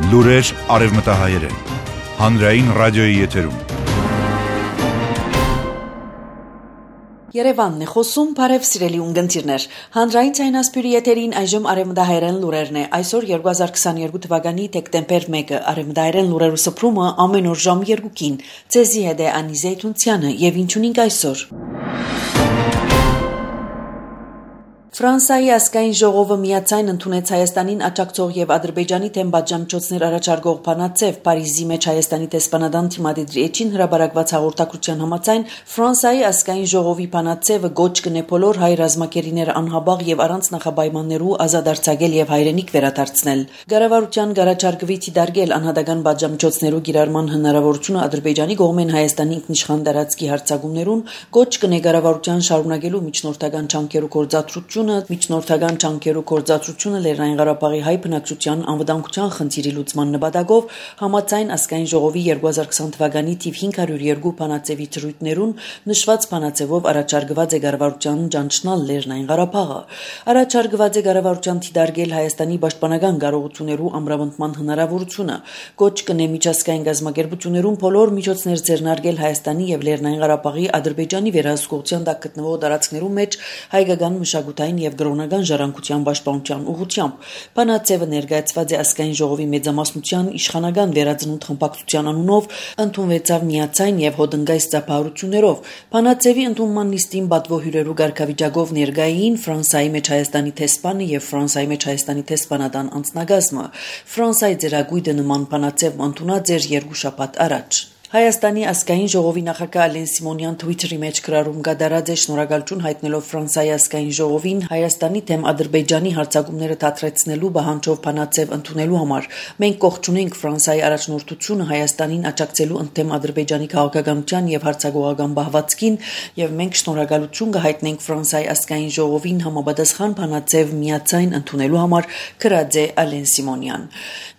Լուրեր արևմտահայերեն, հանրային ռադիոյի եթերում։ Երևանն է խոսում, բարև սիրելի ունգընտիրներ։ Հանրային ցայնասպյուրի եթերին այժմ արևմտահայերեն լուրերն է։ Այսօր 2022 թվականի դեկտեմբեր 1-ը արևմտահայերեն լուրերու սփռումը ամեն օր ժամ 2-ին։ Ձեզի հետ է Անի Զեյթունցյանը եւ ինչունին այսօր։ Ֆրանսիայի ազգային ժողովը միացայն ընդունեց Հայաստանին աջակցող եւ Ադրբեջանի թեմ պատժամիջոցներ առաջարկող բանաձև Փարիզի մեջ Հայաստանի դեսպանատան Թիմադիդրի Էջին հրաբարակված հաղորդակցության համաձայն Ֆրանսիայի ազգային ժողովի բանաձևը գոչ կնե բոլոր հայ ռազմակերիները անհաբաղ եւ առանց նախաբայմաններու ազատ արձակել եւ հայրենիք վերադարձնել։ Գարավարության գարաչարգվի դիտարկել անհատական պատժամիջոցներու գիրառման հնարավորությունը Ադրբեջանի կողմեն Հայաստանի ինքնիշխան տարածքի հարձակումներուն գոչ կնե գարավարության շարունակելու միջնորդական ջանքերու գործադրությունը միջնորդական ջանքերու գործադրությունը Լեռնային Ղարաբաղի հայ բնակչության անվտանգության խնդիրի լուծման նպատակով համաձայն ազգային ժողովի 2020 թվականի թիվ 502 բանաձևի դրույթներուն նշված բանաձևով առաջարկված է կառավարության ճանչնալ Լեռնային Ղարաբաղը։ Առաջարկված է կառավարության դիտարկել Հայաստանի պաշտպանական կարողություններու ամրապնդման հնարավորությունը, գոչ կնե միջազգային գազམ་ակերպություններուն բոլոր միջոցներ ձեռնարկել Հայաստանի եւ Լեռնային Ղարաբաղի Ադրբեջանի վերահսկողության տակ գտնվող տարածքներու մեջ հայկական մշակութային եւ գրոնական ժառանգության պաշտպանության ուղղությամբ բանաձևը ներկայացված է ազգային ժողովի մեծամասնության իշխանական վերածնունդ խմբակցության անունով ընդունվեցավ միացայն եւ հոդնգայս ծափահարություններով բանաձևի ընդունման նիստին պատվո հյուրերու ղեկավարիչով ներկային Ֆրանսիայի մեջ Հայաստանի դեսպանը եւ Ֆրանսիայի մեջ Հայաստանի դեսպանատան անձնագազմը Ֆրանսիայի ձեռագույտը նման բանաձև ընդունած էր 2 շաբաթ առաջ։ Հայաստանի ազգային ժողովի նախագահ Ալեն Սիմոնյան Twitter-ի մեջ գրառում կատարած է շնորհակալություն հայտնելով Ֆրանսիայի ազգային ժողովին Հայաստանի դեմ Ադրբեջանի հարձակումները դադարեցնելու բանջով բանաձև ընդունելու համար։ Մենք կողջունենք Ֆրանսիայի առաջնորդությունը Հայաստանին աջակցելու ընդդեմ Ադրբեջանի քաղաքականության եւ հարձակողական բահվածքին եւ մենք շնորհակալություն կհայտնենք Ֆրանսիայի ազգային ժողովին համապատասխան բանաձև միացայն ընդունելու համար, գրած է Ալեն Սիմոնյան։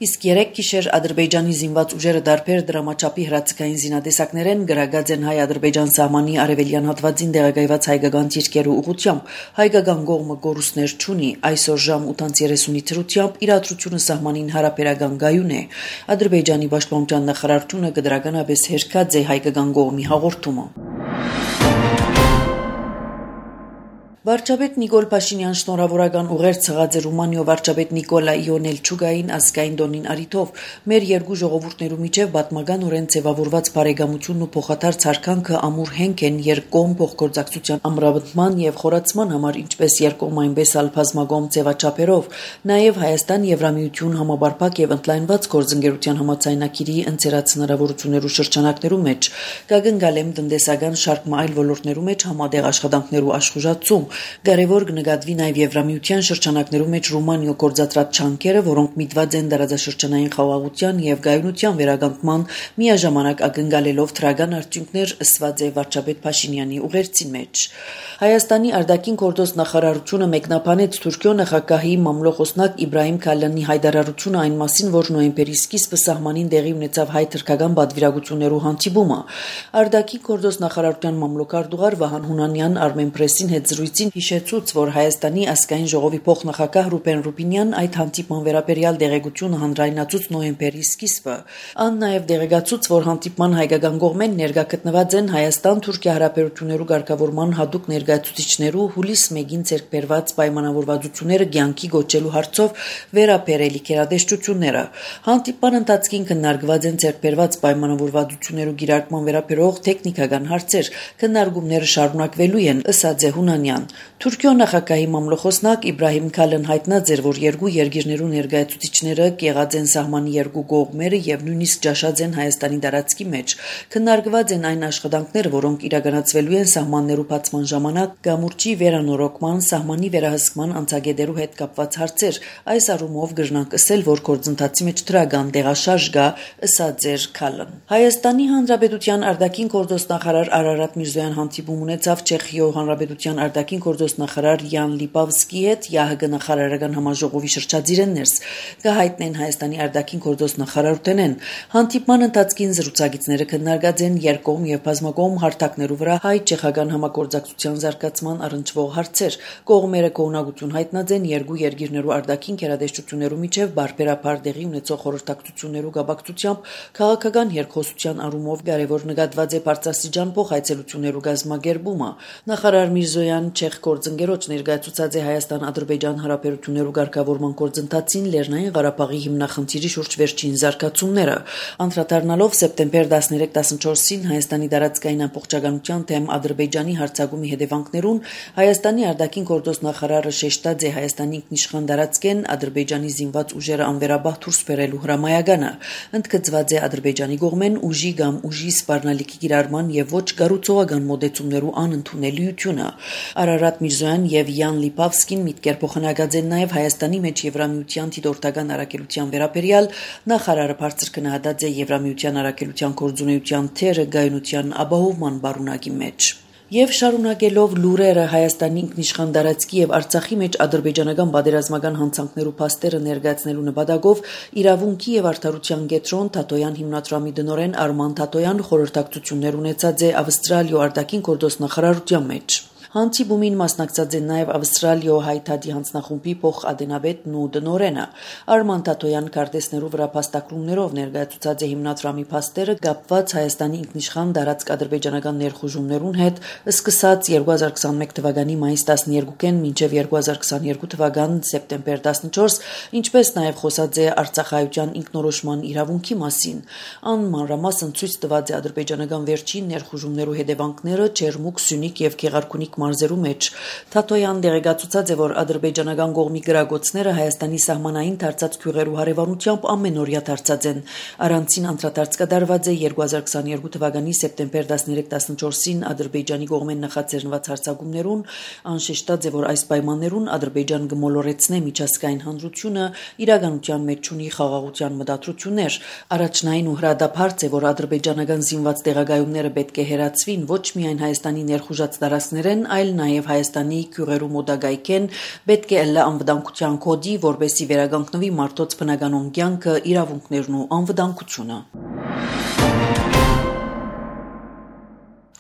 Իսկ 3 գիշեր Ադրբեջանի զինված ուժերը դարբեր դրամաչափի հրացակային զինադեսակներեն գրագած են հայ-ադրբեջան սահմանի արևելյան հատվածին տեղակայված հայկական ճիրկերու ուղղությամբ հայկական կողմը գորուսներ չունի այսօր ժամ 8:30-ի թրությամբ իրադրությունը սահմանին հարաբերական գայուն է Ադրբեջանի պաշտպանության նախարարությունը կդրականապես հերքած է հայկական կողմի հաղորդումը Վարչապետ Նիկոլ Փաշինյան շնորհավորական ուղեր ցղած է Ռումանիո վարչապետ Նիկոլա Իոնելչուկային ազգային դոնին արիթով մեր երկու ժողովուրդներու միջև պատմականորեն ձևավորված բարեկամությունն ու փոխադարձ հարկանքը ամուր հենք են երկկողմ փոխգործակցության ամրապնդման եւ խորացման համար ինչպես երկկողմ այնպես ալ բազմակողմ ձևաչափերով նաեւ Հայաստան Եվրամիություն համաբարփակ եւ ընդլայնված գործընկերության համաձայնագիրի ընձեռած հնարավորություններու շրջանակներու մեջ կգնգալեմ տնտեսական շարք այլ ոլորտներու մեջ համատեղ աշխատանքներու աշխուժացում Կարևոր կնկատվի նաև Եվրամիության շրջանակներու մեջ Ռումանիո գործադրած ջանքերը, որոնք միտված են տարածաշրջանային խաղաղության եւ գայունության վերականգնման միաժամանակ ակնկալելով դրական արդյունքներ ըսված է վարչապետ Փաշինյանի ուղերձի մեջ։ Հայաստանի արտաքին գործոստ նախարարությունը մեկնաբանեց Թուրքիո նախագահի մամլոխոսնակ Իբրահիմ Քալյանի հայտարարությունը այն մասին, որ նոյեմբերի սկիզբը սահմանին տեղի ունեցավ հայ-թուրքական պատվիրակություններու հանդիպումը։ Արտաքին գործոստ նախարարության մամլոքարտուղար Վահան Հունանյան Armenpress-ին հետ զրույցին հիշեցուց, որ Հայաստանի ազգային ժողովի փոխնախագահ Ռուբեն Ռուբինյան այդ հանդիպման վերաբերյալ տեղեկությունը հանրայնացուց նոյեմբերի սկիզբը։ Ան նաև տեղեկացուց, որ հանդիպման հայկական կողմեն ներկա գտնված են Հայաստան-Թուրքիա հարաբերություններու ղեկավարման հատուկ ներկայացուցիչներու հուլիս 1-ին ցերկբերված պայմանավորվածությունները կյանքի գոչելու հարցով վերաբերելի կերադեշտությունները։ Հանդիպման ընթացքին քննարկված են ցերկբերված պայմանավորվածություններու գիրարկման վերաբերող տեխնիկական հարցեր, քննարկումները շարունակվելու են, ըստ է Հունանյան։ Թուրքիո նախագահի մամլոխոսնակ Իբրահիմ Քալեն հայտնած էր, որ երկու երկիրներու ներկայացուցիչները կեղած են սահմանի երկու կողմերը եւ նույնիսկ ճաշած են Հայաստանի տարածքի մեջ։ Քննարկված են այն աշխատանքները, որոնք իրականացվելու են սահմաններու բացման ժամանակ գամուրջի վերանորոգման, սահմանի վերահսկման անցագետերու հետ կապված հարցեր։ Այս առումով գրնանք ասել, որ գործընթացի մեջ դրական տեղաշարժ կա, ըստ է Քալեն։ Հայաստանի Հանրապետության արտաքին գործոստ նախարար Արարատ Միրզոյան հանդիպում ունեցավ Չեխիո Հանրապետության արտաքին արտաքին գործոս նախարար Յան Լիպավսկի հետ ՀՀԳ նախարարական համաժողովի շրջադիրեն ներս կհայտնեն Հայաստանի արտաքին գործոս նախարարութենեն։ Հանդիպման ընթացքին զրուցակիցները քննարկած են երկկողմ եւ բազմակողմ հարթակներու վրա հայ-չեխական համագործակցության զարգացման առնչվող հարցեր։ Կողմերը կողմնակություն հայտնած են երկու երկիրներու արտաքին գերատեսչություններու միջև բարբերաբար տեղի ունեցող խորհրդակցություններու գաբակցությամբ քաղաքական երկխոսության առումով կարևոր նկատված է բարձրաստիճան փոխայցելություններու գազմագերբումը։ Նախարար Միրզոյան չեխ գործընկերոջ ներկայացուցած է Հայաստան-Ադրբեջան հարաբերություններու ղեկավարման գործընթացին Լեռնային Ղարաբաղի հիմնախնդիրի շուրջ վերջին զարգացումները։ Անդրադառնալով սեպտեմբեր 13-14-ին Հայաստանի տարածքային ամբողջականության թեմ Ադրբեջանի հարձակումի հետևանքներուն Հայաստանի արտաքին գործոս նախարարը շեշտած է Հայաստանի ինքնիշխան տարածքեն Ադրբեջանի զինված ուժերը անվերաբար դուրս բերելու հրամայականը։ Ընդգծված է Ադրբեջանի կողմեն ուժի կամ ուժի սպառնալիքի կիրառման եւ ոչ կառուցողական մոդեցումներու անընդունելիությունը։ Արարատ Միրզոյան եւ Յան Լիպավսկին միտքեր փոխանակած են նաեւ Հայաստանի մեջ Եվրամիության դիտորդական առաքելության վերաբերյալ նախարարը բարձր քննադատած է Եվրամիության առաքելության կորձունեության թերը գայունության ապահովման բարունակի մեջ։ Եվ շարունակելով լուրերը Հայաստանի ինքնիշխան տարածքի եւ Արցախի մեջ ադրբեջանական պատերազմական հանցանքներու փաստերը ներկայացնելու նպատակով իրավունքի եւ արդարության կենտրոն Թաթոյան հիմնադրամի տնօրեն Արման Թաթոյան խորհրդակցություններ ունեցած է Ավստրալիո արտաքին գործոս նախարարության մեջ։ Հանդիպումին մասնակցած են նաև Ավստրալիո հայ-թաթի հանձնախումբի փոխադենաբետն ու տնօրենը։ Արման Թաթոյան քարտեզներու վրա փաստագրումներով ներկայացուցած է հիմնադրամի փաստերը կապված Հայաստանի ինքնիշխան տարածք ադրբեջանական ներխուժումներուն հետ, սկսած 2021 թվականի մայիս 12-ին մինչև 2022 թվական սեպտեմբեր 14, ինչպես նաև խոսած է Արցախայության ինքնորոշման իրավունքի մասին։ Անմանրամասն ցույց տված է ադրբեջանական վերջին ներխուժումներու հետևանքները Չերմուկ, Սյունիք եւ Գեղարքունիք մարզերու մեջ։ Թաթոյան դեղեկացուցած է, որ ադրբեջանական կողմի գրագոցները Հայաստանի սահմանային դարձած քյուղերու հարևանությամբ ամենօրյա դարձած են։ Առանցին անդրադարձ կատարված է 2022 թվականի սեպտեմբեր 13-14-ին Ադրբեջանի կողմեն նախաձեռնված հարձակումներուն, անշեշտած է, որ այս պայմաններուն Ադրբեջան կմոլորեցնե միջազգային հանրությունը, իրականության մեջ ունի խաղաղության մտադրություններ։ Առաջնային ու հրադադարձ է, որ ադրբեջանական զինված տեղակայումները պետք է հերացվին ոչ միայն Հայաստանի ներխուժած տարածքներեն, այլ նաև Հայաստանի քյուղերու մոտակայքեն պետք է ըլլա անվտանգության կոդի, որպեսզի վերականգնվի մարդոց բնականոն կյանքը, իրավունքներն ու անվտանգությունը։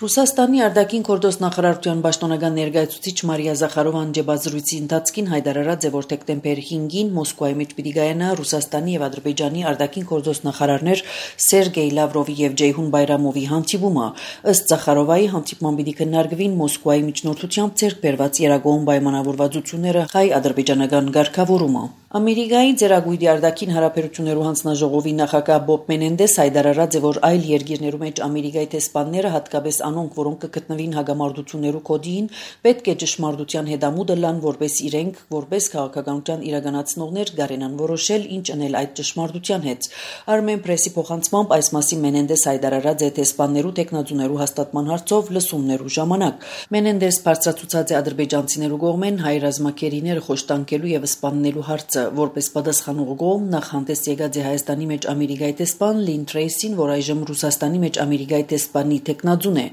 Ռուսաստանի արտաքին գործոս նախարարության պաշտոնական ներկայացուցիչ Մարիա Զախարովան ջեբազրույցի ընթացքին հայտարարած է, որ դեկտեմբեր 5-ին Մոսկվայի մեջ պիտի գայանա Ռուսաստանի եւ Ադրբեջանի արտաքին գործոս նախարարներ Սերգեյ Լավրովի եւ Ջեյհուն Բայրամովի հանդիպումը։ Ըստ Զախարովայի հանդիպման պիտի քննարկվին Մոսկվայի միջնորդությամբ ձեռք բերված երագոհ պայմանավորվածությունները հայ-ադրբեջանական ղեկավարումը։ Ամերիկայի ձեռագույտի արտաքին հարաբերություններու հանձնաժողովի նախագահ Բոբ Մենենդես հայտարարած է, որ այլ երկիրներու մեջ Ամերիկայի տեսփանները հատկապես անոնք, որոնք կգտնվին հագամարտություններու կոդին, պետք է ճշմարտության հետամուտը լան, որպես իրենք, որպես քաղաքականության իրականացնողներ գարենան որոշել ինչ անել այդ ճշմարտության հետ։ Armen Press-ի փոխանցմամբ այս մասին Մենենդես հայտարարած է տեսփաններու տեխնազուներու հաստատման հարցով լսումներու ժամանակ։ Մենենդես բարձրացուցած է ադրբեջանցիներու կողմեն հայ ռազմակերիները խոշտանկելու եւ սպաննելու հարցը, որպես պատասխանող կողմ նախհանդես եկած է Հայաստանի մեջ Ամերիկայի տեսփան Լին Թրեյսին, որ այժմ Ռուսաստանի մեջ Ամերիկայի տեսփանի տեխնազուն է։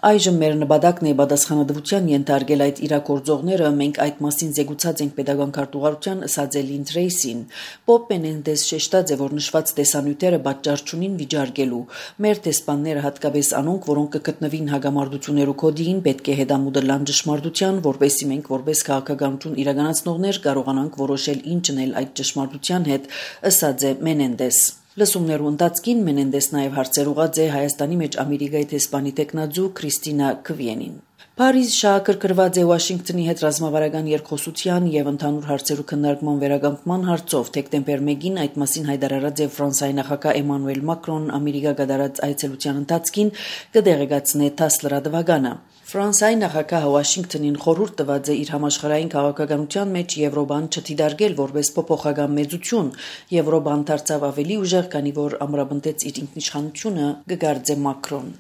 Այժմ մեր նպատակն է պատասխանատվության ենթարկել այդ իրագործողները, մենք այդ մասին զեկուցած ենք պետական քարտուղարության, ըսած է Լին Թրեյսին։ Բոբ Մենենդես շեշտած է, որ նշված տեսանյութերը պատճառ չունին վիճարկելու։ Մեր տեսփանները, հատկապես անոնք, որոնք կգտնվին հագամարտություններու կոդին, պետք է հետամուտը լան ճշմարտության, որպեսզի մենք որպես քաղաքականություն իրականացնողներ կարողանանք որոշել ինչ անել այդ ճշմարտության հետ, ըսած է Մենենդես։ Լսումներու ընթացքին Մենենդես նաև հարցեր ուղղած է Հայաստանի մեջ Ամերիկայի տեսփանի տեխնազու Քրիստինա Քվիենին։ Փարիզ շահագրգռված է Վաշինգտոնի հետ ռազմավարական երկխոսության եւ ընդհանուր հարցերու քննարկման վերականգնման հարցով դեկտեմբեր 1-ին այդ մասին հայտարարած է Ֆրանսիայի նախագահ Էմանուել Մակրոն Ամերիկա կատարած այցելության ընթացքին կդեղեկացնե ՏԱՍ լրատվականը։ Ֆրանսիայի նախագահը Վաշինգտոնին խորհուրդ տված է իր համաշխարհային քաղաքականության մեջ Եվրոպան չդիտարկել որպես փոփոխական մեծություն։ Եվրոպան դարձավ ավելի ուժեղ, քանի որ ամրապնդեց իր ինքնիշխանությունը, կգարձե Մակրոն։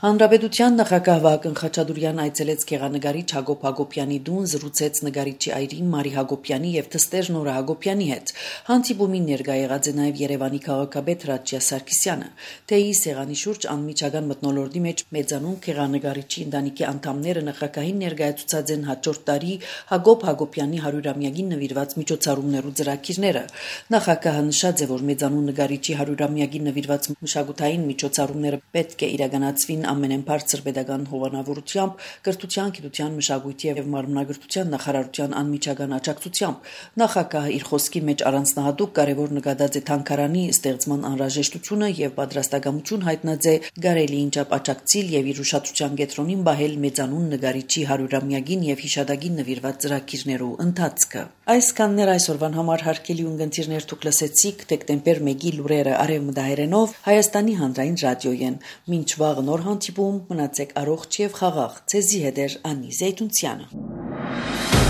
Հանրապետության նախագահ Վահագն Խաչատուրյան այցելեց գեղանկարիչ Հակոբ Հակոբյանի տուն, զրուցեց նկարիչի այրի Մարի Հակոբյանի եւ թստեր Նորա Հակոբյանի հետ։ Հանդիպումին ներկա եղած է նաեւ Երևանի քաղաքապետ Ռաչյա Սարգսյանը։ Թեյի սեղանի շուրջ անմիջական մթնոլորտի մեջ մեծանուն գեղանկարիչի ընտանիքի անդամները նախագահին ներկայացուցած են հաջորդ տարի Հակոբ Հակոբյանի 100-ամյակին նվիրված միջոցառումներու ծրագիրները։ Նախագահը նշած է, որ մեծանուն նկարիչի 100-ամյակին նվիրված մշակութային միջոցառումները պետք է իրականացվին ամենեն բարձր pedagogan հովանավորությամբ, կրթության, գիտության, մշակույթի եւ մարմնագրթության նախարարության անմիջական աջակցությամբ նախագահը իր խոսքի մեջ առանձնահատուկ կարևոր նկատած է թանգարանի ստեղծման անհրաժեշտությունը եւ պատրաստակամություն հայտնած է գարելիին չափ աջակցիլ եւ իր ուշադրության կենտրոնին բահել մեծանուն նկարիչի 100-ամյակին եւ հիշադակին նվիրված ծրագիրներու ընթացքը։ Այսքաններ այսօրվան համար հարգելի ունգընտիրներ դուք լսեցիք դեկտեմբեր 1-ի լուրերը արևմտահայերենով Հայաստանի հանրային ռադիոյեն։ Մինչ վաղ նոր հանդիպում մնացեք առողջ եւ խաղաղ։ Ձեզի հետ է Անի Զեյթունցյանը։